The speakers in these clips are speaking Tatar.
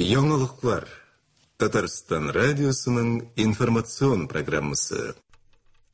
Яңалыклар. Татарстан радиосының информацион программасы.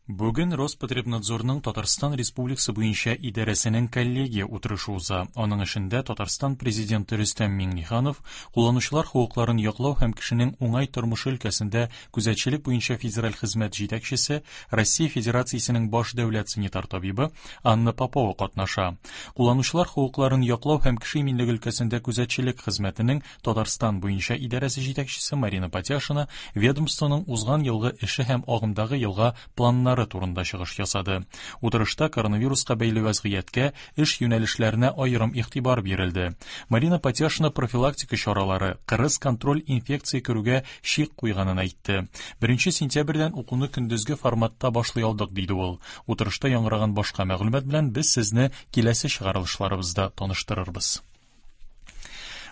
Бүген Роспотребнадзорның Татарстан Республикасы буенча идарәсенең коллегия утырышы уза. Аның эшендә Татарстан Президенты Рөстәм Миңнеханов, кулланучылар хокукларын яклау һәм кешенең уңай тормышы өлкәсендә күзәтчелек буенча федераль хезмәт җитәкчесе, Россия Федерациясенең баш дәүләт санитар табибы Анна Попова катнаша. Кулланучылар хокукларын яклау һәм кеше иминлеге өлкәсендә күзәтчелек хезмәтенең Татарстан буенча идарәсе җитәкчесе Марина Патяшина ведомствоның узган елгы эше һәм агымдагы елга планнары турында чыгыш ясады. Утырышта коронавируска бәйле вәзгыятькә, эш юнәлешләренә аерым игътибар бирелде. Марина Патяшина профилактика чаралары, кырыс контроль инфекция керүгә чик куйганын әйтте. Беренче сентябрьдән укуны көндезге форматта башлый алдык, диде ул. Утырышта яңгыраган башка мәгълүмат белән без сезне киләсе чыгарылышларыбызда таныштырырбыз.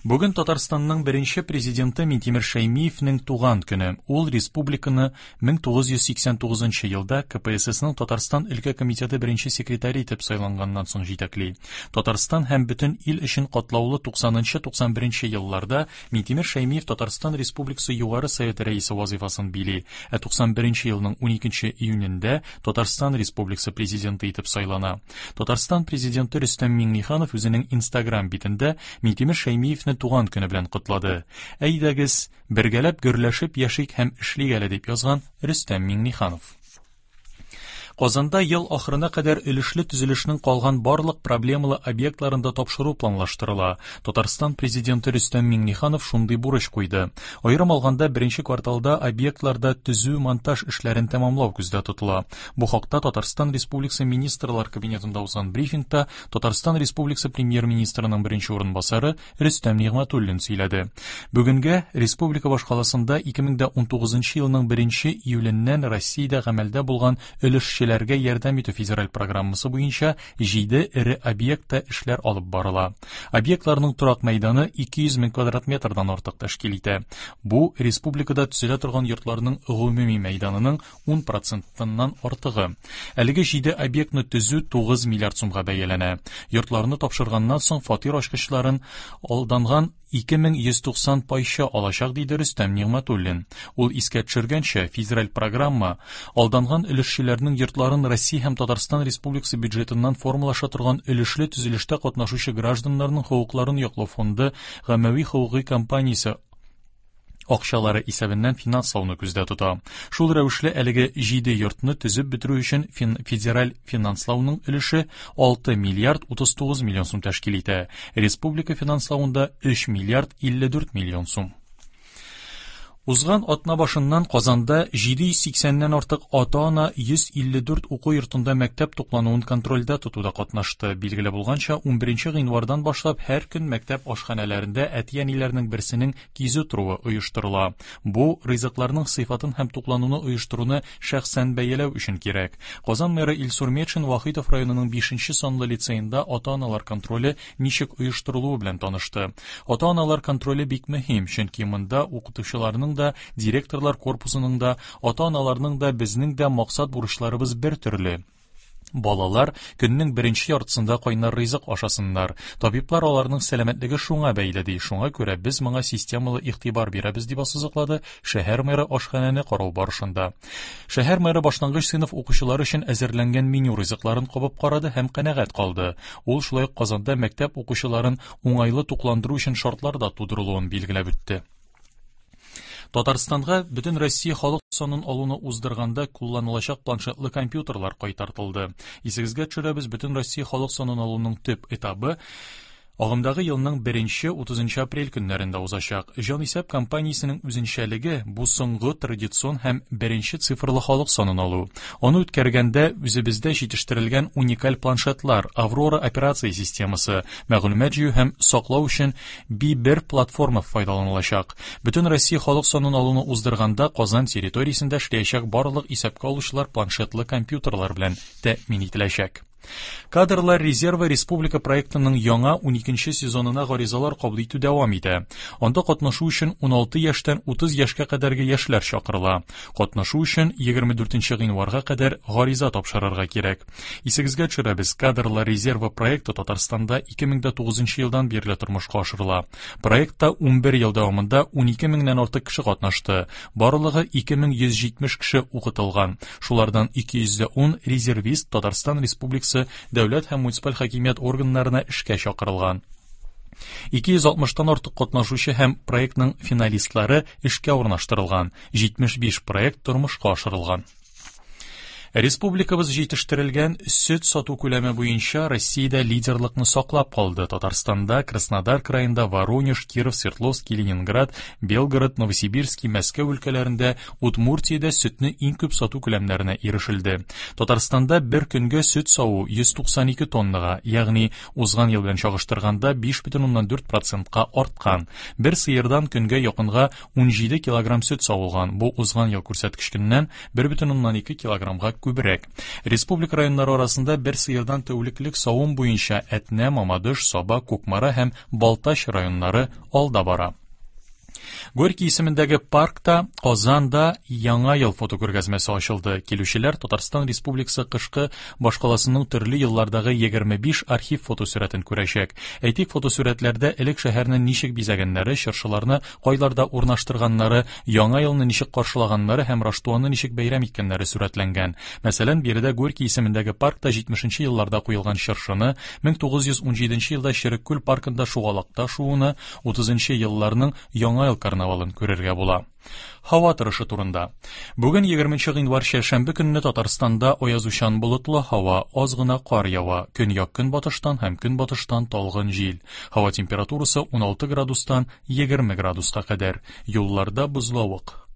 Бүген Татарстанның беренче президенты Минтимер Шәймиевнең туган көне. Ул республиканы 1989 елда КПССның Татарстан өлкә комитеты беренче секретаре итеп сайланганнан соң җитәкли. Татарстан һәм бөтен ил өчен катлаулы 90-91 елларда Минтимер Шәймиев Татарстан Республикасы Югары Советы рәисе вазыйфасын били, ә 91 елның 12 июнендә Татарстан Республикасы президенты итеп сайлана. Татарстан президенты Рөстәм Миңнеханов үзенең Инстаграм битендә Минтимер Шәймиевне туган көне белән котлады. Әйдәгез, бергәләп гөрләшеп яшик һәм эшлик әле, дип язган Рөстәм Миңнеханов. Казанда ел ахырына кадәр өлешле төзелешнең калган барлык проблемалы объектларын да тапшыру планлаштырыла. Татарстан Президенты Рөстәм Миңнеханов шундый бурыч куйды. Аерым алганда, беренче кварталда объектларда төзү-монтаж эшләрен тәмамлау күздә тотыла. Бу хакта Татарстан Республикасы Министрлар Кабинетында узган брифингта Татарстан Республикасы Премьер-министрының беренче урынбасары Рөстәм Нигъмәтуллин сөйләде. Бүгенгә республика башкаласында 2019 елның 1 июленнән Россиядә гамәлдә булган өлешчеләргә ярдәм итү федераль программасы буенча 7 эре объектта эшләр алып барыла. Объектларның торак мәйданы 200 мең квадрат метрдан артык тәшкил итә. Бу республикада төзелә торган йортларның гомуми мәйданының 10 процентыннан артыгы. Әлеге җиде объектны төзү 9 миллиард сумга бәяләнә. Йортларны тапшырганнан соң фатир ачкычларын алданган 2190 пайчы алачак, диде Рөстәм Нигъмәтуллин. Ул искә төшергәнчә, федераль программа алданган өлешчеләрнең йортларын Россия һәм Татарстан Республикасы бюджетыннан формалаша торган өлешле төзелештә катнашучы гражданнарның хокукларын яклау фонды гаммәви хокукый компаниясе акчалары исәбеннән финанслауны күздә тота. Шул рәвешле әлеге җиде йортны төзеп бетерү өчен федераль финанслауның өлеше 6 миллиард 39 миллион сум тәшкил итә. Республика финанславында 3 миллиард 54 миллион сум. Узган атна башыннан Казанда 780-нән артык ата-ана 154 уку йортында мәктәп туклануын контрольдә тотуда катнашты. Билгеле булганча, 11 гыйнвардан башлап һәр көн мәктәп ашханәләрендә әти-әниләрнең берсенең кизү торуы оештырыла. Бу, ризыкларның сыйфатын һәм туклануны оештыруны шәхсән бәяләү өчен кирәк. Казан мэры Илсур Метшин Вахитов районының бишенче санлы лицеенда ата-аналар контроле ничек оештырылуы белән танышты. Ата-аналар контроле бик мөһим, чөнки монда укытучыларның да, директорлар корпусының да, ата-аналарның да, безнең дә максат-бурычларыбыз бер төрле. Балалар көннең беренче яртысында кайнар ризык ашасыннар. Табиблар аларның сәламәтлеге шуңа бәйле ди. Шуңа күрә без моңа системалы игътибар бирәбез, дип ассызыклады шәһәр мэры ашханәне карау барышында. Шәһәр мэры башлангыч сыйныф укучылары өчен әзерләнгән меню ризыкларын кабып карады һәм канәгать калды. Ул шулай ук Казанда мәктәп укучыларын уңайлы тукландыру өчен шартлар да тудырылуын билгеләп үтте. Татарстанга бөтен Россия халык санын алуны уздырганда кулланылачак планшетлы компьютерлар кайтартылды. Исегезгә төшерәбез, бөтен Россия халык санын алуның төп этабы агымдагы елның 1-нче 30 апрель көннәрендә узачак. Җанисәп кампаниясенең үзенчәлеге бу соңгы традицион һәм беренче цифрлы халык санын алу. Аны үткәргәндә үзебездә җитештерелгән уникаль планшетлар, Аврора операция системасы, мәгълүмат җыю һәм саклау өчен Би-бер платформа файдаланылачак. Бөтен Россия халык санын алуны уздырганда Казан территориясендә эшләячәк барлык исәпкә алучылар планшетлы компьютерлар белән тәэмин ителәчәк. Кадрлар резервы республика проектының яңа 12 сезонына гаризалар кабул итү дәвам итә. Анда катнашу өчен 16 яшьтән 30 яшькә кадәрге яшьләр чакырыла. Катнашу өчен 24 гыйнварга кадәр гариза тапшырырга кирәк. Исегезгә төшерәбез, Кадрлар резервы проекты Татарстанда 2009 елдан бирле тормышка ашырыла. Проектта 11 ел дәвамында 12 меңнән артык кеше катнашты. Барлыгы 2170 кеше укытылган. Шулардан 210 резервист Татарстан Республикасы дәүләт һәм муниципаль хакимият органнарына эшкә чакырылган. 260-тан артык катнашучы һәм проектның финалистлары эшкә урнаштырылган. 75 проект тормышка ашырылган. Республикабыз җитештерелгән сөт сату күләме буенча Россиядә лидерлыкны саклап калды. Татарстанда, Краснодар краенда, Воронеж, Киров, Свердловск, Ленинград, Белгород, Новосибирский, Мәскәү өлкәләрендә, Удмуртиядә сөтне иң күп сату күләмнәренә ирешелде. Татарстанда бер көнгә сөт саву 192 тоннага, ягъни узган ел белән чагыштырганда 5,4%-ка арткан. Бер сыердан көнгә якынга 17 килограмм сөт савылган. Бу узган ел күрсәткеченнән 1,2 килограммга күбрәк. Республика районнары арасында бер сыердан тәүлеклек савым буенча Әтнә, Мамадыш, Саба, Кукмара һәм Балтач районнары алда бара. Горький исемендәге паркта Казанда Яңа ел фотокүргәзмәсе ачылды. Килүчеләр Татарстан Республикасы кышкы башкаласының төрле еллардагы 25 архив фотосурәтен күрәчәк. Әйтик, фотосурәтләрдә элек шәһәрне ничек бизәгәннәре, чыршыларны кайларда урнаштырганнары, Яңа елны ничек каршылаганнары һәм Раштуаны ничек бәйрәм иткәннәре сурәтләнгән. Мәсәлән, биредә Горький исемендәге паркта 70 елларда куелган чыршыны, 1917 елда Череккүл паркында шугалакта шууны, 30 елларның Яңа ел карнавалын күрергә була. Һава торышы турында. Бүген 20 гыйнвар чәршәмбе көнне Татарстанда аязучан болытлы һава, аз гына кар ява, көньяк-көнбатыштан һәм көнбатыштан талгын җил. Һава температурасы 16 градустан 20 градуска кадәр. Юлларда бозлавык.